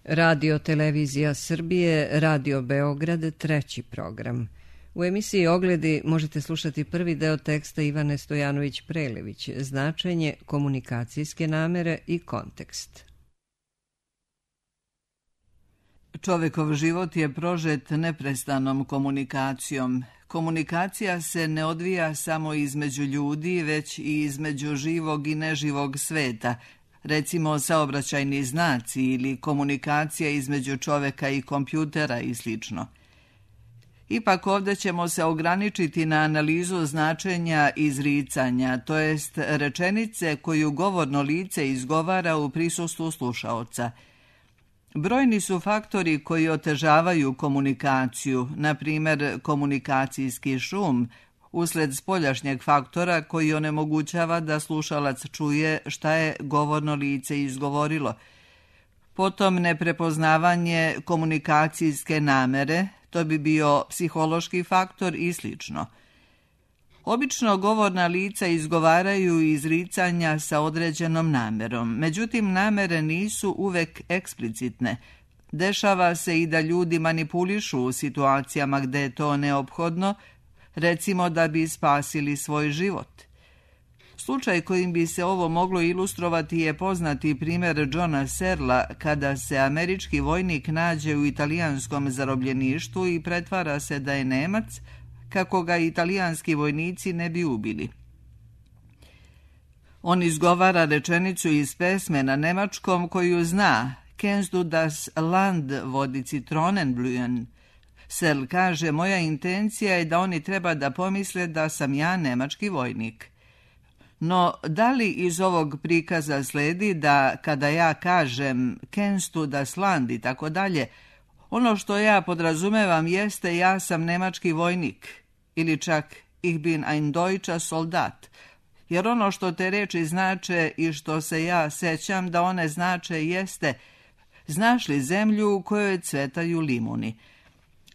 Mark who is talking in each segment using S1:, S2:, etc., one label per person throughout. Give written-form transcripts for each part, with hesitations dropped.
S1: Radio Televizija Srbije, Radio Beograd, treći program. U emisiji Ogledi možete slušati prvi deo teksta Ivane Stojanović-Prelević, značenje komunikacijske namere i kontekst.
S2: Čovekov život je prožet neprestanom komunikacijom. Komunikacija se ne odvija samo između ljudi, već i između živog i neživog sveta, recimo saobraćajni znaci ili komunikacija između čoveka i kompjutera i sl. Ipak ovdje ćemo se ograničiti na analizu značenja izricanja, to jest rečenice koju govorno lice izgovara u prisustvu slušaoca. Brojni su faktori koji otežavaju komunikaciju, na primjer komunikacijski šum, usled spoljašnjeg faktora koji onemogućava da slušalac čuje šta je govorno lice izgovorilo. Potom neprepoznavanje komunikacijske namere, to bi bio psihološki faktor i sl. Obično govorna lica izgovaraju izricanja sa određenom namerom, međutim namere nisu uvek eksplicitne. Dešava se i da ljudi manipulišu u situacijama gde je to neophodno, recimo da bi spasili svoj život. Slučaj kojim bi se ovo moglo ilustrovati je poznati primjer Johna Searla kada se američki vojnik nađe u italijanskom zarobljeništvu i pretvara se da je Nemac, kako ga italijanski vojnici ne bi ubili. On izgovara rečenicu iz pesme na nemačkom koju zna: "Kennst du das Land, wo die Zitronen blühen?" Searl kaže: "Moja intencija je da oni treba da pomisle da sam ja nemački vojnik." No, da li iz ovog prikaza sledi da kada ja kažem "Kennst du das Land" i tako dalje, ono što ja podrazumevam jeste ja sam nemački vojnik ili čak "Ich bin ein deutscher Soldat", jer ono što te reči znače i što se ja sećam da one znače jeste: znaš li zemlju u kojoj cvetaju limuni?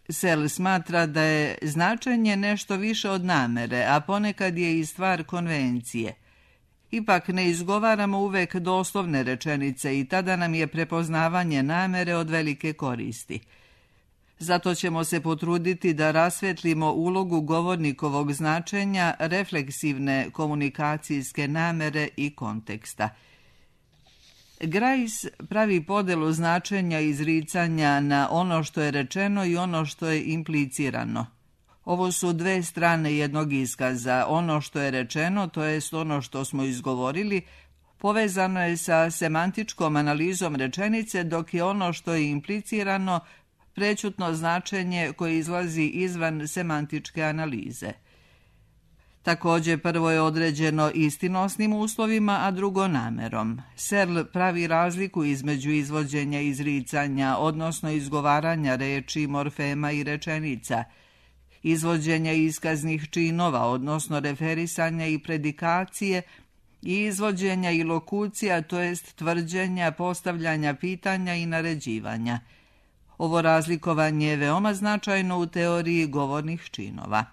S2: Searl smatra da je značenje nešto više od namere, a ponekad je i stvar konvencije. Ipak ne izgovaramo uvek doslovne rečenice i tada nam je prepoznavanje namere od velike koristi. Zato ćemo se potruditi da rasvetlimo ulogu govornikovog značenja, refleksivne komunikacijske namere i konteksta. Grice pravi podelu značenja izricanja na ono što je rečeno i ono što je implicirano. Ovo su dve strane jednog iskaza. Ono što je rečeno, to jest ono što smo izgovorili, povezano je sa semantičkom analizom rečenice, dok je ono što je implicirano prećutno značenje koje izlazi izvan semantičke analize. Također, prvo je određeno istinosnim uslovima, a drugo namerom. Searl pravi razliku između izvođenja izricanja, odnosno izgovaranja reči, morfema i rečenica, izvođenja iskaznih činova, odnosno referisanja i predikacije, i izvođenja i lokucija, to jest tvrđenja, postavljanja pitanja i naređivanja. Ovo razlikovanje je veoma značajno u teoriji govornih činova.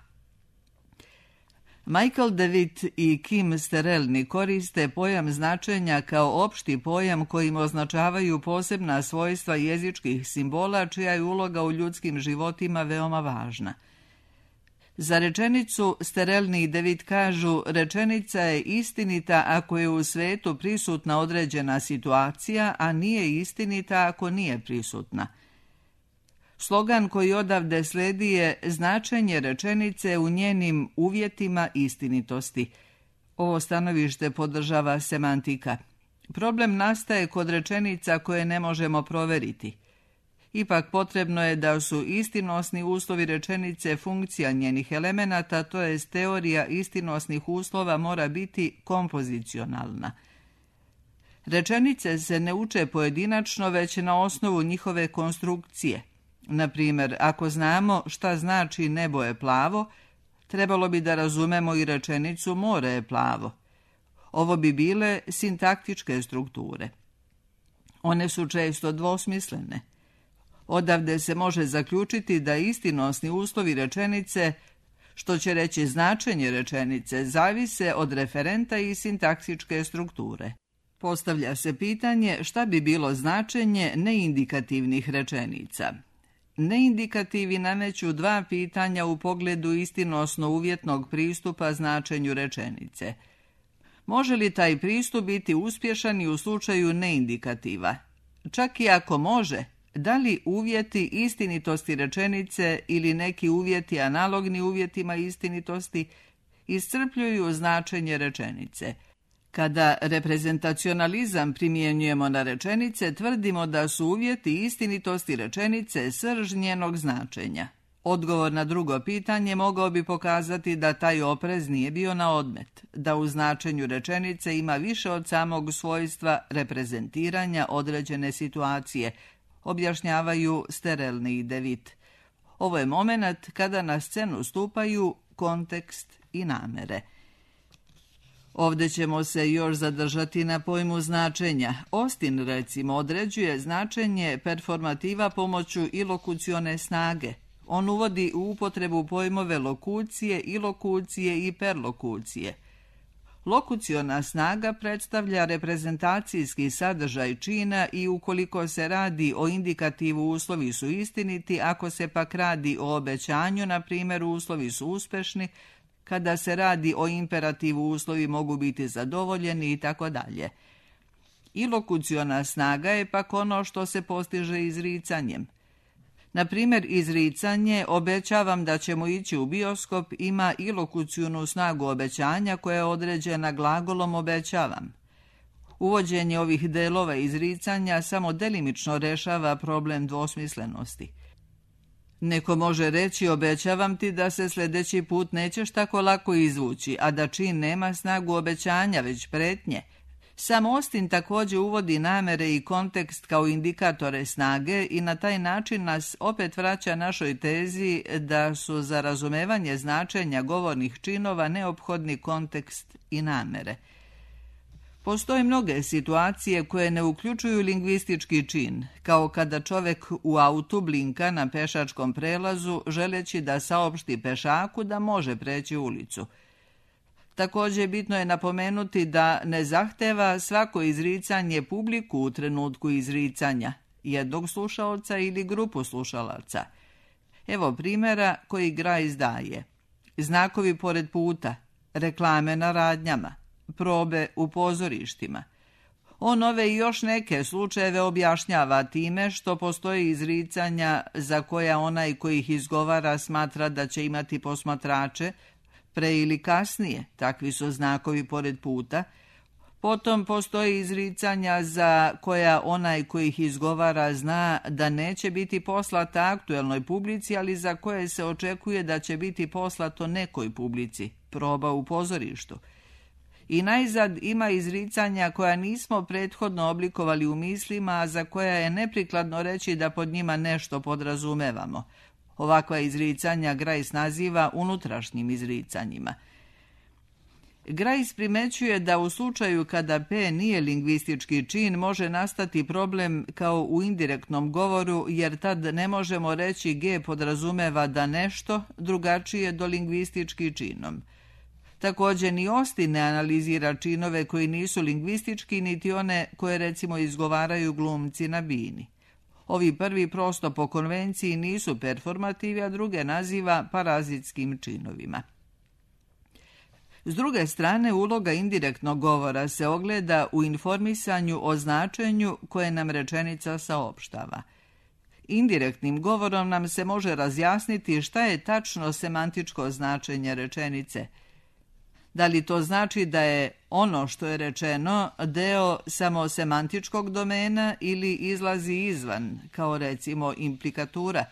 S2: Michael DeWitt i Kim Sterelni koriste pojam značenja kao opšti pojam kojim označavaju posebna svojstva jezičkih simbola čija je uloga u ljudskim životima veoma važna. Za rečenicu Sterelni i DeWitt kažu: rečenica je istinita ako je u svetu prisutna određena situacija, a nije istinita ako nije prisutna. Slogan koji odavde sledi je: značenje rečenice u njenim uvjetima istinitosti. Ovo stanovište podržava semantika. Problem nastaje kod rečenica koje ne možemo proveriti. Ipak potrebno je da su istinosni uslovi rečenice funkcija njenih elemenata, to jest teorija istinosnih uslova mora biti kompozicionalna. Rečenice se ne uče pojedinačno, već na osnovu njihove konstrukcije. Na primjer, ako znamo šta znači nebo je plavo, trebalo bi da razumemo i rečenicu more je plavo. Ovo bi bile sintaktičke strukture. One su često dvosmislene. Odavde se može zaključiti da istinosni uslovi rečenice, što će reći značenje rečenice, zavise od referenta i sintaksičke strukture. Postavlja se pitanje šta bi bilo značenje neindikativnih rečenica. Neindikativi nameću dva pitanja u pogledu istinosno uvjetnog pristupa značenju rečenice. Može li taj pristup biti uspješan i u slučaju neindikativa? Čak i ako može, da li uvjeti istinitosti rečenice ili neki uvjeti analogni uvjetima istinitosti iscrpljuju značenje rečenice? Kada reprezentacionalizam primjenjujemo na rečenice, tvrdimo da su uvjeti istinitosti rečenice srž njenog značenja. Odgovor na drugo pitanje mogao bi pokazati da taj oprez nije bio na odmet, da u značenju rečenice ima više od samog svojstva reprezentiranja određene situacije, objašnjavaju Sterelni i Devitt. Ovo je moment kada na scenu stupaju kontekst i namere. Ovdje ćemo se još zadržati na pojmu značenja. Austin, recimo, određuje značenje performativa pomoću ilokucione snage. On uvodi u upotrebu pojmove lokucije, ilokucije i perlokucije. Lokuciona snaga predstavlja reprezentacijski sadržaj čina i ukoliko se radi o indikativu uslovi su istiniti, ako se pak radi o obećanju, na primjer uslovi su uspešni, kada se radi o imperativu uslovi mogu biti zadovoljeni i tako dalje. Ilokuciona snaga je pak ono što se postiže izricanjem. Na primjer, izricanje obećavam da ćemo ići u bioskop ima ilokucionu snagu obećanja koja je određena glagolom obećavam. Uvođenje ovih delova izricanja samo delimično rešava problem dvosmislenosti. Neko može reći obećavam ti da se sljedeći put nećeš tako lako izvući, a da čin nema snagu obećanja, već pretnje. Sam Austin također uvodi namere i kontekst kao indikatore snage i na taj način nas opet vraća našoj tezi da su za razumevanje značenja govornih činova neophodni kontekst i namere. Postoje mnoge situacije koje ne uključuju lingvistički čin, kao kada čovjek u autu blinka na pešačkom prelazu želeći da saopšti pešaku da može preći ulicu. Također bitno je napomenuti da ne zahteva svako izricanje publiku u trenutku izricanja, jednog slušaoca ili grupu slušalaca. Evo primjera koji Grice daje. Znakovi pored puta, reklame na radnjama, probe u pozorištima. On ove i još neke slučajeve objašnjava time što postoje izricanja za koja onaj koji ih izgovara smatra da će imati posmatrače, pre ili kasnije, takvi su znakovi pored puta. Potom postoji izricanja za koja onaj koji ih izgovara zna da neće biti poslata aktuelnoj publici, ali za koje se očekuje da će biti poslato nekoj publici, proba u pozorištu. I najzad ima izricanja koja nismo prethodno oblikovali u mislima, a za koja je neprikladno reći da pod njima nešto podrazumevamo. Ovakva izricanja Grice naziva unutrašnjim izricanjima. Grice primećuje da u slučaju kada P nije lingvistički čin može nastati problem kao u indirektnom govoru, jer tad ne možemo reći G podrazumeva da nešto drugačije do lingvistički činom. Također ni Austin ne analizira činove koji nisu lingvistički, niti one koje recimo izgovaraju glumci na bini. Ovi prvi prosto po konvenciji nisu performativi, a druge naziva parazitskim činovima. S druge strane, uloga indirektnog govora se ogleda u informisanju o značenju koje nam rečenica saopštava. Indirektnim govorom nam se može razjasniti šta je tačno semantičko značenje rečenice. Da li to znači da je ono što je rečeno deo samo semantičkog domena ili izlazi izvan, kao recimo implikatura?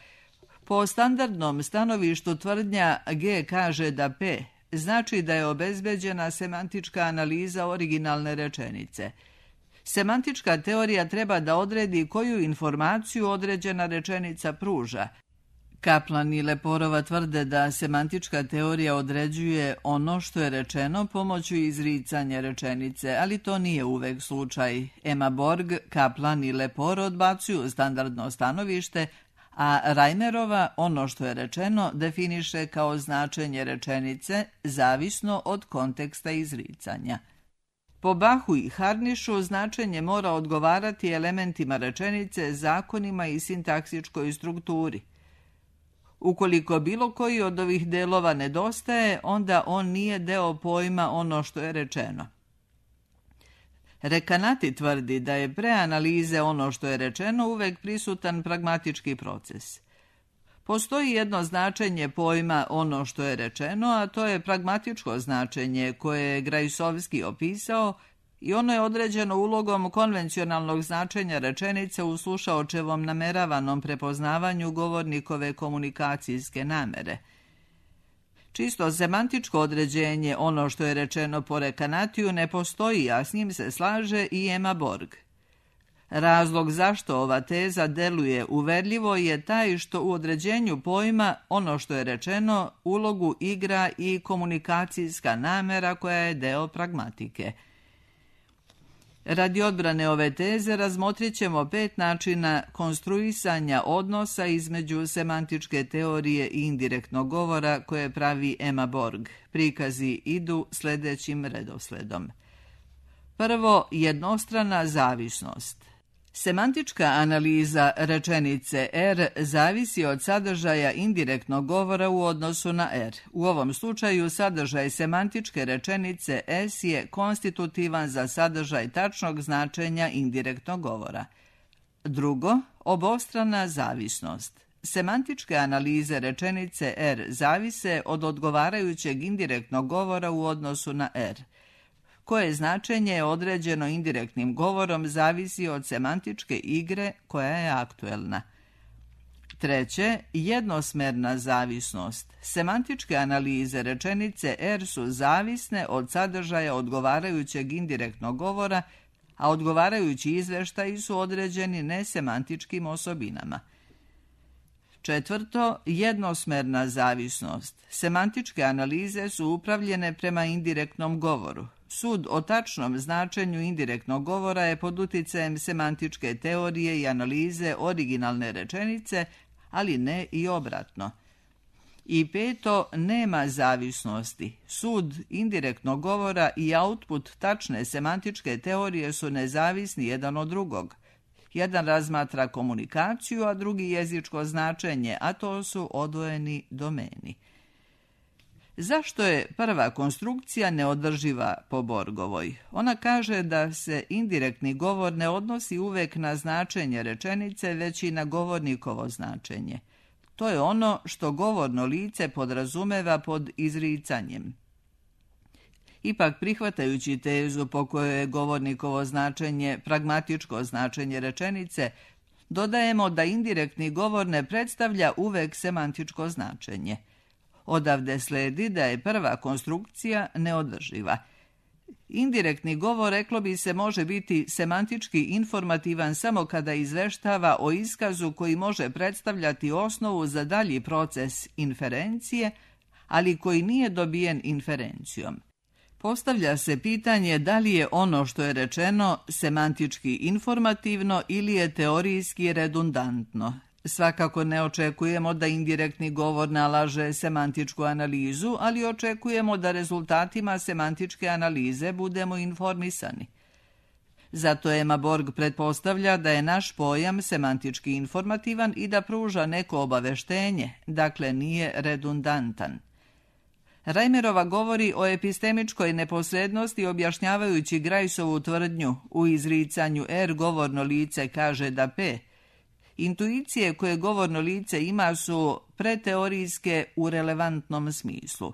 S2: Po standardnom stanovištu tvrdnja G kaže da P znači da je obezbeđena semantička analiza originalne rečenice. Semantička teorija treba da odredi koju informaciju određena rečenica pruža. Kaplan i Leporova tvrde da semantička teorija određuje ono što je rečeno pomoću izricanja rečenice, ali to nije uvek slučaj. Emma Borg, Kaplan i Lepor odbacuju standardno stanovište, a Reimerova ono što je rečeno definiše kao značenje rečenice zavisno od konteksta izricanja. Po Bahu i Harnišu značenje mora odgovarati elementima rečenice, zakonima i sintaksičkoj strukturi. Ukoliko bilo koji od ovih delova nedostaje, onda on nije deo pojma ono što je rečeno. Rekanati tvrdi da je pre analize ono što je rečeno uvek prisutan pragmatički proces. Postoji jedno značenje pojma ono što je rečeno, a to je pragmatičko značenje koje je Grajsovski opisao i ono je određeno ulogom konvencionalnog značenja rečenice u slušaočevom nameravanom prepoznavanju govornikove komunikacijske namere. Čisto semantičko određenje ono što je rečeno po Rekanatiju ne postoji, a s njim se slaže i Emma Borg. Razlog zašto ova teza deluje uverljivo je taj što u određenju pojma ono što je rečeno ulogu igra i komunikacijska namera koja je deo pragmatike. Radi odbrane ove teze razmotrit ćemo 5 načina konstruisanja odnosa između semantičke teorije i indirektnog govora koje pravi Emma Borg. Prikazi idu sljedećim redosledom. Prvo, jednostrana zavisnost. Semantička analiza rečenice R zavisi od sadržaja indirektnog govora u odnosu na R. U ovom slučaju sadržaj semantičke rečenice S je konstitutivan za sadržaj tačnog značenja indirektnog govora. Drugo, obostrana zavisnost. Semantičke analize rečenice R zavise od odgovarajućeg indirektnog govora u odnosu na R. Koje značenje je određeno indirektnim govorom zavisi od semantičke igre koja je aktuelna. Treće, jednosmerna zavisnost. Semantičke analize rečenice R su zavisne od sadržaja odgovarajućeg indirektnog govora, a odgovarajući izveštaji su određeni nesemantičkim osobinama. Četvrto, jednosmerna zavisnost. Semantičke analize su upravljene prema indirektnom govoru. Sud o tačnom značenju indirektnog govora je pod uticajem semantičke teorije i analize originalne rečenice, ali ne i obratno. I peto, nema zavisnosti. Sud indirektnog govora i output tačne semantičke teorije su nezavisni jedan od drugog. Jedan razmatra komunikaciju, a drugi jezičko značenje, a to su odvojeni domeni. Zašto je prva konstrukcija neodrživa po Borgovoj? Ona kaže da se indirektni govor ne odnosi uvek na značenje rečenice, već i na govornikovo značenje. To je ono što govorno lice podrazumeva pod izricanjem. Ipak, prihvatajući tezu po kojoj je govornikovo značenje pragmatičko značenje rečenice, dodajemo da indirektni govor ne predstavlja uvek semantičko značenje. Odavde sledi da je prva konstrukcija neodrživa. Indirektni govor, reklo bi se, može biti semantički informativan samo kada izveštava o iskazu koji može predstavljati osnovu za dalji proces inferencije, ali koji nije dobijen inferencijom. Postavlja se pitanje da li je ono što je rečeno semantički informativno ili je teorijski redundantno. Svakako ne očekujemo da indirektni govor nalaže semantičku analizu, ali očekujemo da rezultatima semantičke analize budemo informisani. Zato Emma Borg pretpostavlja da je naš pojam semantički informativan i da pruža neko obaveštenje, dakle nije redundantan. Reimerova govori o epistemičkoj neposrednosti objašnjavajući Grajsovu tvrdnju u izricanju R govorno lice kaže da P. Intuicije koje govorno lice ima su preteorijske u relevantnom smislu.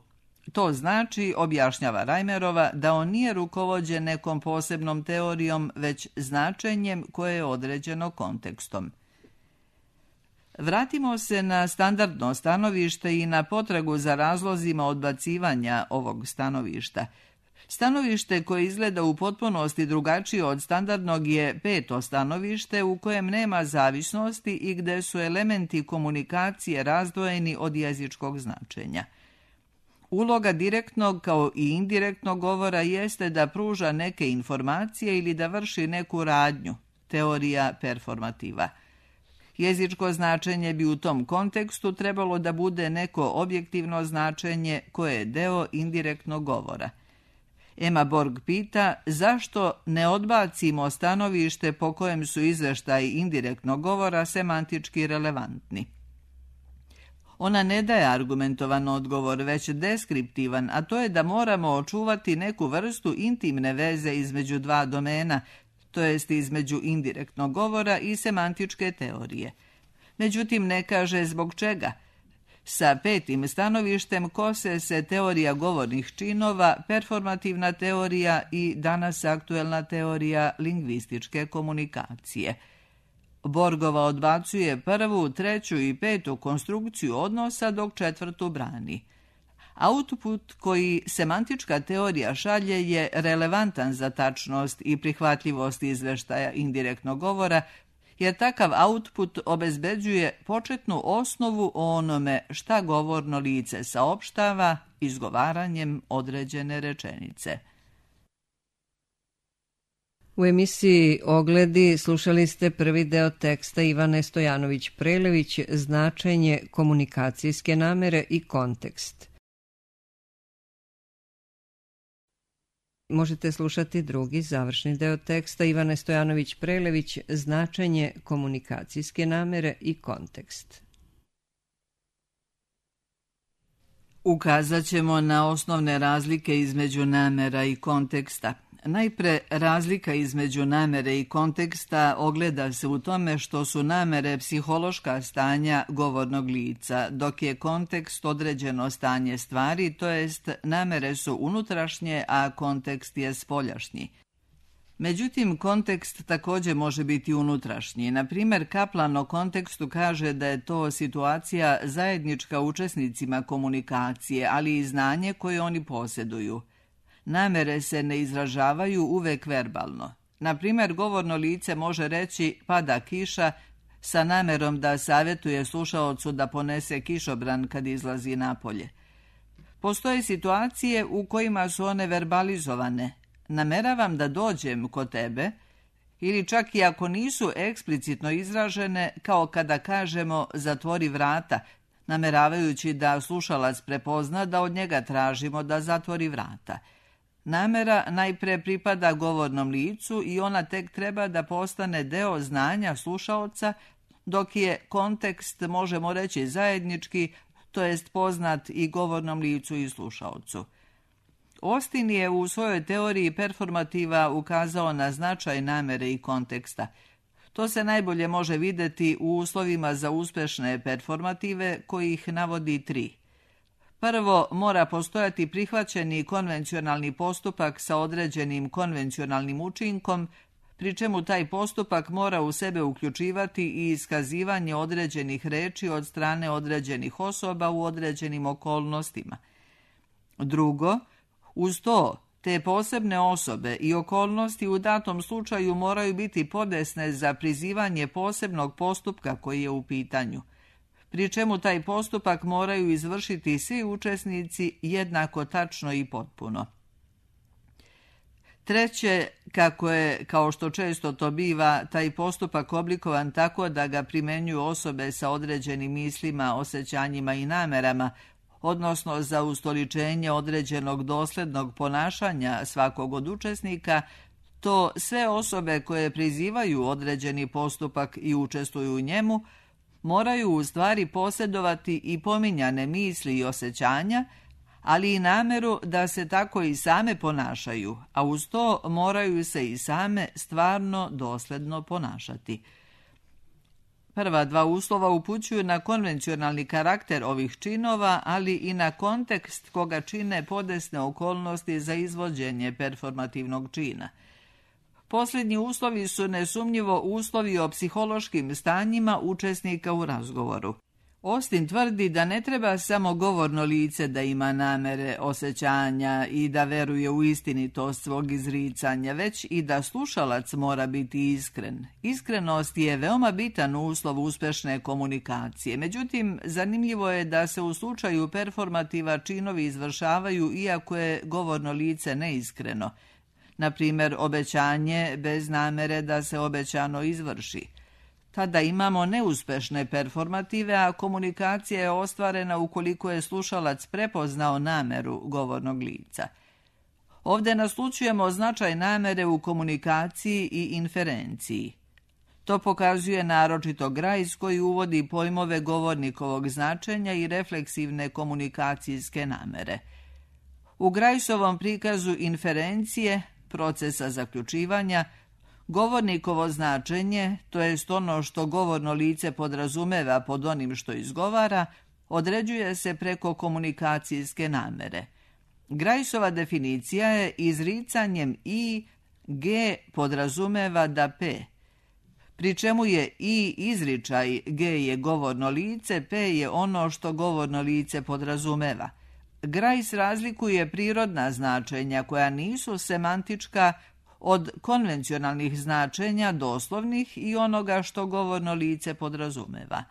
S2: To znači, objašnjava Reimerova, da on nije rukovođen nekom posebnom teorijom, već značenjem koje je određeno kontekstom. Vratimo se na standardno stanovište i na potragu za razlozima odbacivanja ovog stanovišta. Stanovište koje izgleda u potpunosti drugačije od standardnog je peto stanovište u kojem nema zavisnosti i gde su elementi komunikacije razdvojeni od jezičkog značenja. Uloga direktnog kao i indirektnog govora jeste da pruža neke informacije ili da vrši neku radnju, teorija performativa. Jezičko značenje bi u tom kontekstu trebalo da bude neko objektivno značenje koje je deo indirektnog govora. Emma Borg pita zašto ne odbacimo stanovište po kojem su izveštaji indirektnog govora semantički relevantni. Ona ne daje argumentovan odgovor, već deskriptivan, a to je da moramo očuvati neku vrstu intimne veze između dva domena, to jest između indirektnog govora i semantičke teorije. Međutim, ne kaže zbog čega. Sa petim stanovištem kose se teorija govornih činova, performativna teorija i danas aktuelna teorija lingvističke komunikacije. Borgova odbacuje prvu, treću i petu konstrukciju odnosa, dok četvrtu brani. Output koji semantička teorija šalje je relevantan za tačnost i prihvatljivost izveštaja indirektnog govora, jer takav output obezbeđuje početnu osnovu o onome šta govorno lice saopštava izgovaranjem određene rečenice.
S1: U emisiji Ogledi slušali ste prvi deo teksta Ivane Stojanović-Prelević, značenje komunikacijske namere i kontekst. Možete slušati drugi završni deo teksta Ivane Stojanović-Prelević, značenje komunikacijske namere i kontekst.
S2: Ukazat ćemo na osnovne razlike između namera i konteksta. Najpre, razlika između namere i konteksta ogleda se u tome što su namere psihološka stanja govornog lica, dok je kontekst određeno stanje stvari, to jest namere su unutrašnje, a kontekst je spoljašnji. Međutim, kontekst također može biti unutrašnji. Na primjer, Kaplan o kontekstu kaže da je to situacija zajednička učesnicima komunikacije, ali i znanje koje oni posjeduju. Namere se ne izražavaju uvek verbalno. Na primjer, govorno lice može reći pada kiša sa namerom da savjetuje slušaocu da ponese kišobran kad izlazi napolje. Postoje situacije u kojima su one verbalizovane. Nameravam da dođem kod tebe, ili čak i ako nisu eksplicitno izražene, kao kada kažemo zatvori vrata, nameravajući da slušalac prepozna da od njega tražimo da zatvori vrata. Namera najpre pripada govornom licu i ona tek treba da postane deo znanja slušaoca, dok je kontekst, možemo reći, zajednički, to jest poznat i govornom licu i slušaocu. Austin je u svojoj teoriji performativa ukazao na značaj namere i konteksta. To se najbolje može vidjeti u uslovima za uspješne performative, kojih navodi 3. Prvo, mora postojati prihvaćeni konvencionalni postupak sa određenim konvencionalnim učinkom, pri čemu taj postupak mora u sebe uključivati i iskazivanje određenih reči od strane određenih osoba u određenim okolnostima. Drugo, uz to, te posebne osobe i okolnosti u datom slučaju moraju biti podesne za prizivanje posebnog postupka koji je u pitanju, pri čemu taj postupak moraju izvršiti svi učesnici jednako tačno i potpuno. Treće, kako je, kao što često to biva, taj postupak oblikovan tako da ga primenjuju osobe sa određenim mislima, osjećanjima i namerama, odnosno za ustoličenje određenog doslednog ponašanja svakog od učesnika, to sve osobe koje prizivaju određeni postupak i učestvuju u njemu, moraju u stvari posjedovati i pominjane misli i osjećanja, ali i nameru da se tako i same ponašaju, a uz to moraju se i same stvarno dosledno ponašati. Prva dva uslova upućuju na konvencionalni karakter ovih činova, ali i na kontekst koga čine podesne okolnosti za izvođenje performativnog čina. Posljednji uslovi su nesumnjivo uslovi o psihološkim stanjima učesnika u razgovoru. Austin tvrdi da ne treba samo govorno lice da ima namere, osjećanja i da veruje u istinitost svog izricanja, već i da slušalac mora biti iskren. Iskrenost je veoma bitan uslov uspješne komunikacije. Međutim, zanimljivo je da se u slučaju performativa činovi izvršavaju iako je govorno lice neiskreno. Na primjer, obećanje bez namere da se obećano izvrši. Tada imamo neuspešne performative, a komunikacija je ostvarena ukoliko je slušalac prepoznao nameru govornog lica. Ovdje naslućujemo značaj namere u komunikaciji i inferenciji. To pokazuje naročito Grajs koji uvodi pojmove govornikovog značenja i refleksivne komunikacijske namere. U Grajsovom prikazu inferencije, procesa zaključivanja, govornikovo značenje, to jest ono što govorno lice podrazumeva pod onim što izgovara, određuje se preko komunikacijske namere. Grajsova definicija je izricanjem i, g podrazumeva da p, pri čemu je i izričaj, g je govorno lice, p je ono što govorno lice podrazumeva. Grajs razlikuje prirodna značenja koja nisu semantička od konvencionalnih značenja doslovnih i onoga što govorno lice podrazumeva.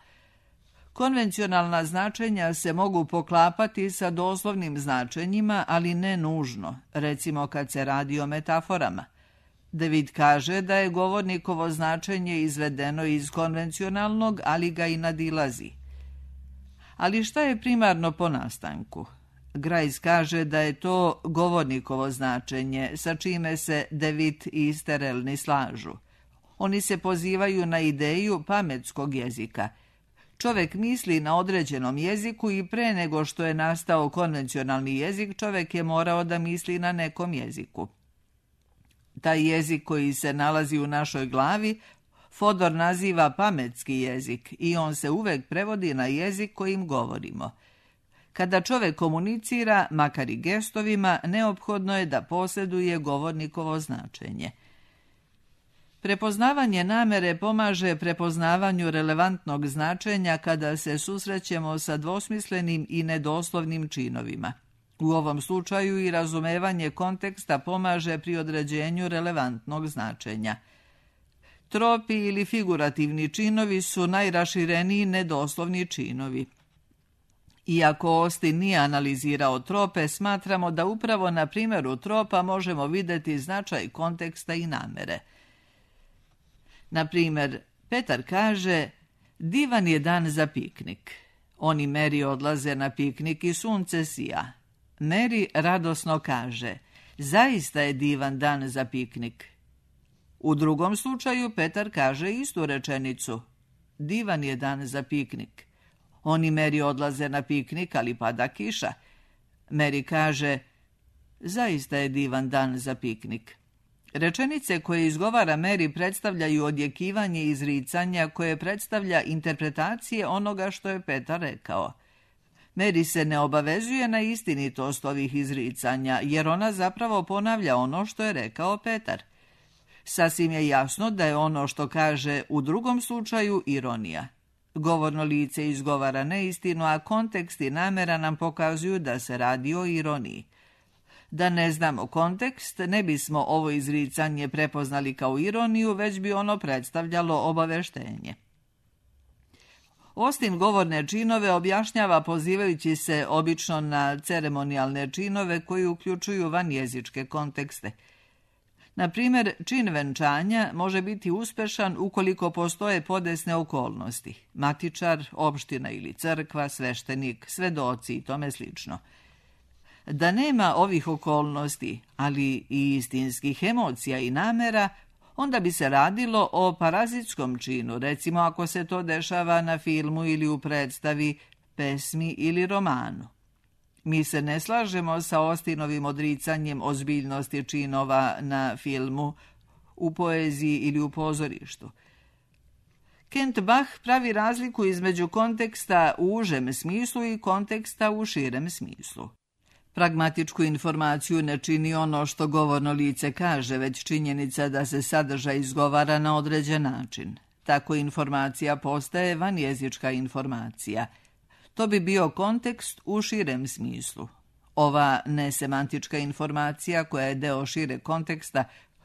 S2: Konvencionalna značenja se mogu poklapati sa doslovnim značenjima, ali ne nužno, recimo kad se radi o metaforama. David kaže da je govornikovo značenje izvedeno iz konvencionalnog, ali ga i nadilazi. Ali šta je primarno po nastanku? Grajs kaže da je to govornikovo značenje, sa čime se David i Sterelni slažu. Oni se pozivaju na ideju pametskog jezika. Čovjek misli na određenom jeziku i pre nego što je nastao konvencionalni jezik, čovjek je morao da misli na nekom jeziku. Taj jezik koji se nalazi u našoj glavi, Fodor naziva pametski jezik i on se uvek prevodi na jezik kojim govorimo. Kada čovjek komunicira, makar i gestovima, neophodno je da posjeduje govornikovo značenje. Prepoznavanje namere pomaže prepoznavanju relevantnog značenja kada se susrećemo sa dvosmislenim i nedoslovnim činovima. U ovom slučaju i razumevanje konteksta pomaže pri određenju relevantnog značenja. Tropi ili figurativni činovi su najrašireniji nedoslovni činovi. Iako Austin nije analizirao trope, smatramo da upravo na primjeru tropa možemo vidjeti značaj konteksta i namere. Na primjer, Petar kaže, divan je dan za piknik. On i Mary odlaze na piknik i sunce sija. Mary radosno kaže, zaista je divan dan za piknik. U drugom slučaju Petar kaže istu rečenicu, divan je dan za piknik. On i Mary odlaze na piknik, ali pada kiša. Mary kaže, zaista je divan dan za piknik. Rečenice koje izgovara Mary predstavljaju odjekivanje izricanja koje predstavlja interpretacije onoga što je Petar rekao. Mary se ne obavezuje na istinitost ovih izricanja, jer ona zapravo ponavlja ono što je rekao Petar. Sasvim je jasno da je ono što kaže u drugom slučaju ironija. Govorno lice izgovara neistinu, a kontekst i namera nam pokazuju da se radi o ironiji. Da ne znamo kontekst, ne bismo ovo izricanje prepoznali kao ironiju, već bi ono predstavljalo obaveštenje. Austin govorne činove objašnjava pozivajući se obično na ceremonijalne činove koji uključuju vanjezičke kontekste. Na primjer, čin venčanja može biti uspešan ukoliko postoje podesne okolnosti. Matičar, opština ili crkva, sveštenik, svedoci i tome slično. Da nema ovih okolnosti, ali i istinskih emocija i namera, onda bi se radilo o parazitskom činu, recimo ako se to dešava na filmu ili u predstavi, pesmi ili romanu. Mi se ne slažemo sa Austinovim odricanjem ozbiljnosti činova na filmu, u poeziji ili u pozorištu. Kent Bach pravi razliku između konteksta u užem smislu i konteksta u širem smislu. Pragmatičku informaciju ne čini ono što govorno lice kaže, već činjenica da se sadržaj izgovara na određen način. Tako informacija postaje vanjezička informacija. To bi bio kontekst u širem smislu. Ova nesemantička informacija, koja je deo šire konteksta,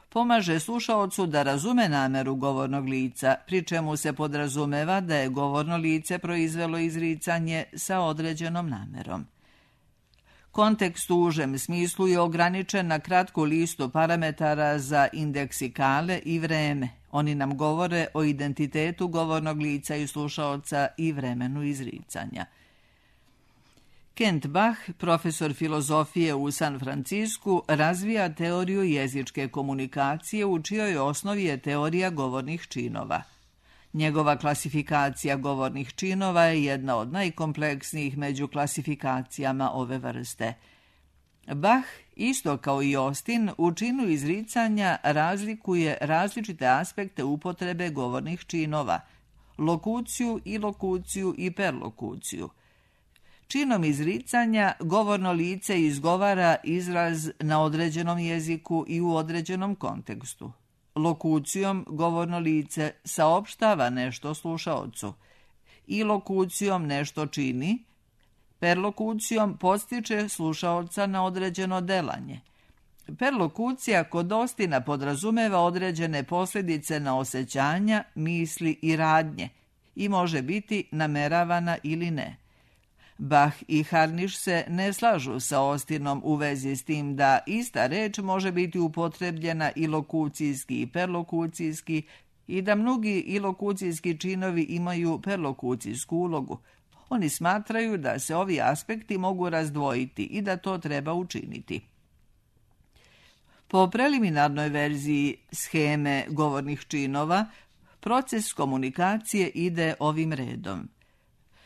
S2: pomaže slušaocu da razume nameru govornog lica, pri čemu se podrazumeva da je govorno lice proizvelo izricanje sa određenom namerom. Kontekst u užem smislu je ograničen na kratku listu parametara za indeksikale i vreme. Oni nam govore o identitetu govornog lica i slušaoca i vremenu izricanja. Kent Bach, profesor filozofije u San Francisku, razvija teoriju jezičke komunikacije u čijoj osnovi je teorija govornih činova. Njegova klasifikacija govornih činova je jedna od najkompleksnijih među klasifikacijama ove vrste. Bach, isto kao i Austin, u činu izricanja razlikuje različite aspekte upotrebe govornih činova, lokuciju, ilokuciju i perlokuciju. Činom izricanja govorno lice izgovara izraz na određenom jeziku i u određenom kontekstu. Lokucijom govorno lice saopštava nešto slušaocu. Ilokucijom nešto čini, perlokucijom podstiče slušaoca na određeno delanje. Perlokucija kod Austina podrazumeva određene posljedice na osjećanja, misli i radnje i može biti nameravana ili ne. Bach i Harnisch se ne slažu sa Austinom u vezi s tim da ista reč može biti upotrebljena i lokucijski i perlokucijski i da mnogi ilokucijski činovi imaju perlokucijsku ulogu. Oni smatraju da se ovi aspekti mogu razdvojiti i da to treba učiniti. Po preliminarnoj verziji sheme govornih činova, proces komunikacije ide ovim redom.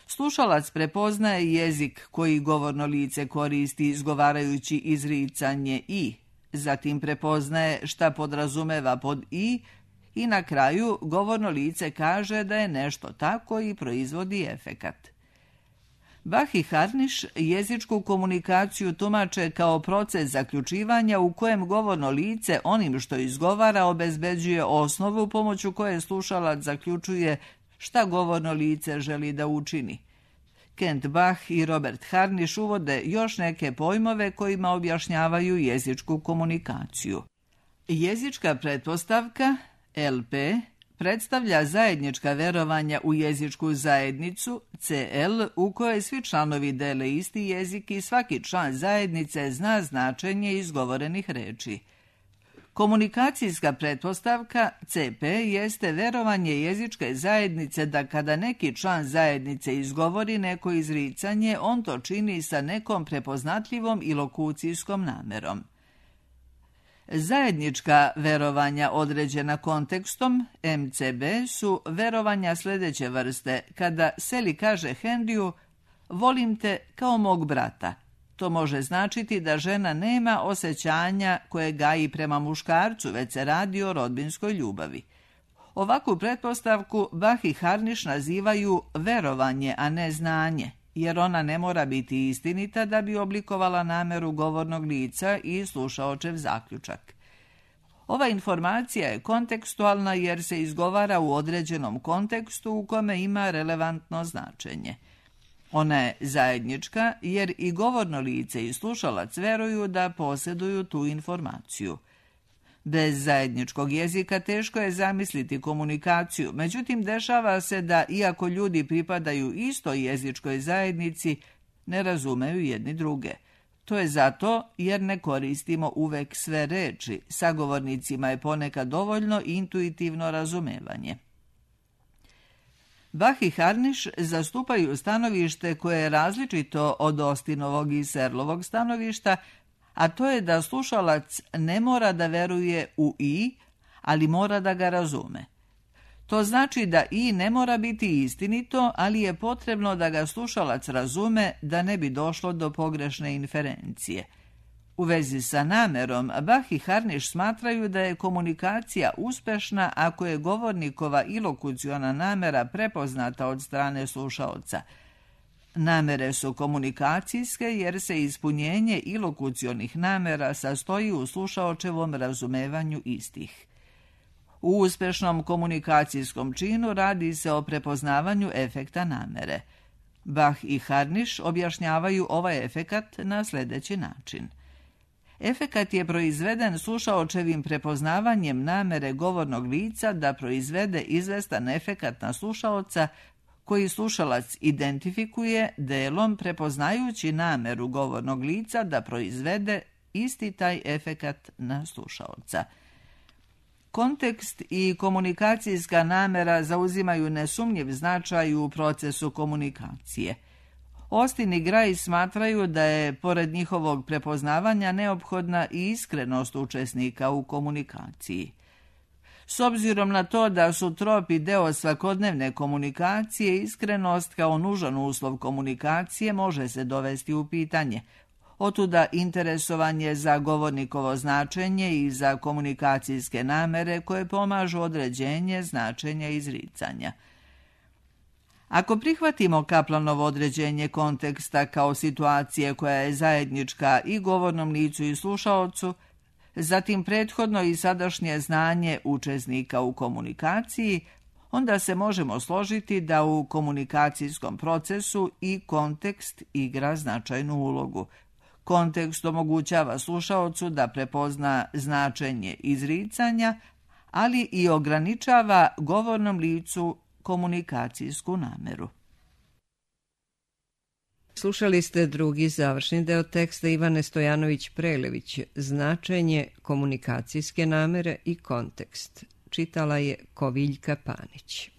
S2: Slušalac prepoznaje jezik koji govorno lice koristi izgovarajući izricanje i, zatim prepoznaje šta podrazumeva pod i na kraju govorno lice kaže da je nešto tako i proizvodi efekat. Bach i Harnisch jezičku komunikaciju tumače kao proces zaključivanja u kojem govorno lice onim što izgovara obezbeđuje osnovu pomoću koje slušalac zaključuje šta govorno lice želi da učini. Kent Bach i Robert Harnisch uvode još neke pojmove kojima objašnjavaju jezičku komunikaciju. Jezička pretpostavka, LP, predstavlja zajednička verovanja u jezičku zajednicu, CL, u kojoj svi članovi dele isti jezik i svaki član zajednice zna značenje izgovorenih reči. Komunikacijska pretpostavka, CP, jeste verovanje jezičke zajednice da kada neki član zajednice izgovori neko izricanje, on to čini sa nekom prepoznatljivom i lokucijskom namerom. Zajednička verovanja određena kontekstom, MCB, su verovanja sljedeće vrste. Kada Sally kaže Henryu, volim te kao mog brata. To može značiti da žena nema osjećanja koje gaji prema muškarcu, već se radi o rodbinskoj ljubavi. Ovakvu pretpostavku Bach i Harnisch nazivaju verovanje, a ne znanje, jer ona ne mora biti istinita da bi oblikovala nameru govornog lica i slušaočev zaključak. Ova informacija je kontekstualna jer se izgovara u određenom kontekstu u kome ima relevantno značenje. Ona je zajednička jer i govorno lice i slušalac veruju da posjeduju tu informaciju. Bez zajedničkog jezika teško je zamisliti komunikaciju, međutim dešava se da, iako ljudi pripadaju istoj jezičkoj zajednici, ne razumeju jedni druge. To je zato jer ne koristimo uvek sve reči, sagovornicima je ponekad dovoljno intuitivno razumevanje. Bach i Harnisch zastupaju stanovište koje je različito od Austinovog i Searlovog stanovišta, a to je da slušalac ne mora da veruje u i, ali mora da ga razume. To znači da i ne mora biti istinito, ali je potrebno da ga slušalac razume da ne bi došlo do pogrešne inferencije. U vezi sa namerom, Bach i Harnisch smatraju da je komunikacija uspešna ako je govornikova ilokuciona namera prepoznata od strane slušaoca. Namere su komunikacijske jer se ispunjenje ilokucionih namera sastoji u slušaočevom razumevanju istih. U uspešnom komunikacijskom činu radi se o prepoznavanju efekta namere. Bach i Harnisch objašnjavaju ovaj efekat na sljedeći način. Efekat je proizveden slušaočevim prepoznavanjem namere govornog lica da proizvede izvestan efekat na slušaoca koji slušalac identifikuje delom prepoznajući nameru govornog lica da proizvede isti taj efekat na slušaoca. Kontekst i komunikacijska namera zauzimaju nesumnjiv značaj u procesu komunikacije. Austin i Gray smatraju da je, pored njihovog prepoznavanja, neophodna i iskrenost učesnika u komunikaciji. S obzirom na to da su tropi deo svakodnevne komunikacije, iskrenost kao nužan uslov komunikacije može se dovesti u pitanje. Otuda interesovanje za govornikovo značenje i za komunikacijske namere koje pomažu određenje značenja izricanja. Ako prihvatimo Kaplanovo određenje konteksta kao situacije koja je zajednička i govornom licu i slušaocu, zatim prethodno i sadašnje znanje učesnika u komunikaciji, onda se možemo složiti da u komunikacijskom procesu i kontekst igra značajnu ulogu. Kontekst omogućava slušaocu da prepozna značenje izricanja, ali i ograničava govornom licu komunikacijsku nameru.
S1: Slušali ste drugi završni deo teksta Ivane Stojanović-Prelević, značenje komunikacijske namere i kontekst. Čitala je Koviljka Panić.